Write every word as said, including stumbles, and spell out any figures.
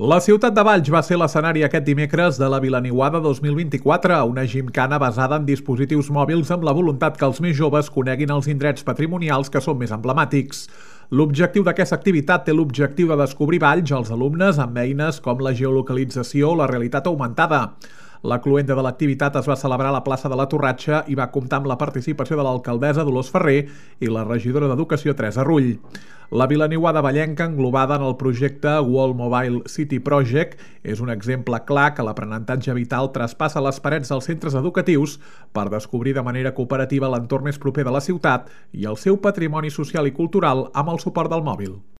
La ciutat de Valls va ser l'escenari aquest dimecres de la Vilaniuada dos mil vint-i-quatre, una gimcana basada en dispositius mòbils amb la voluntat que els més joves coneguin els indrets patrimonials que són més emblemàtics. L'objectiu d'aquesta activitat té l'objectiu de descobrir Valls als alumnes amb eines com la geolocalització o la realitat augmentada. La cloenda de l'activitat es va celebrar a la plaça de la Torratxa i va comptar amb la participació de l'alcaldessa Dolors Ferrer i la regidora d'Educació Teresa Rull. La Vilaniuada vallenca, englobada en el projecte World Mobile City Project, és un exemple clar que l'aprenentatge vital traspassa les parets dels centres educatius per descobrir de manera cooperativa l'entorn més proper de la ciutat i el seu patrimoni social i cultural amb el suport del mòbil.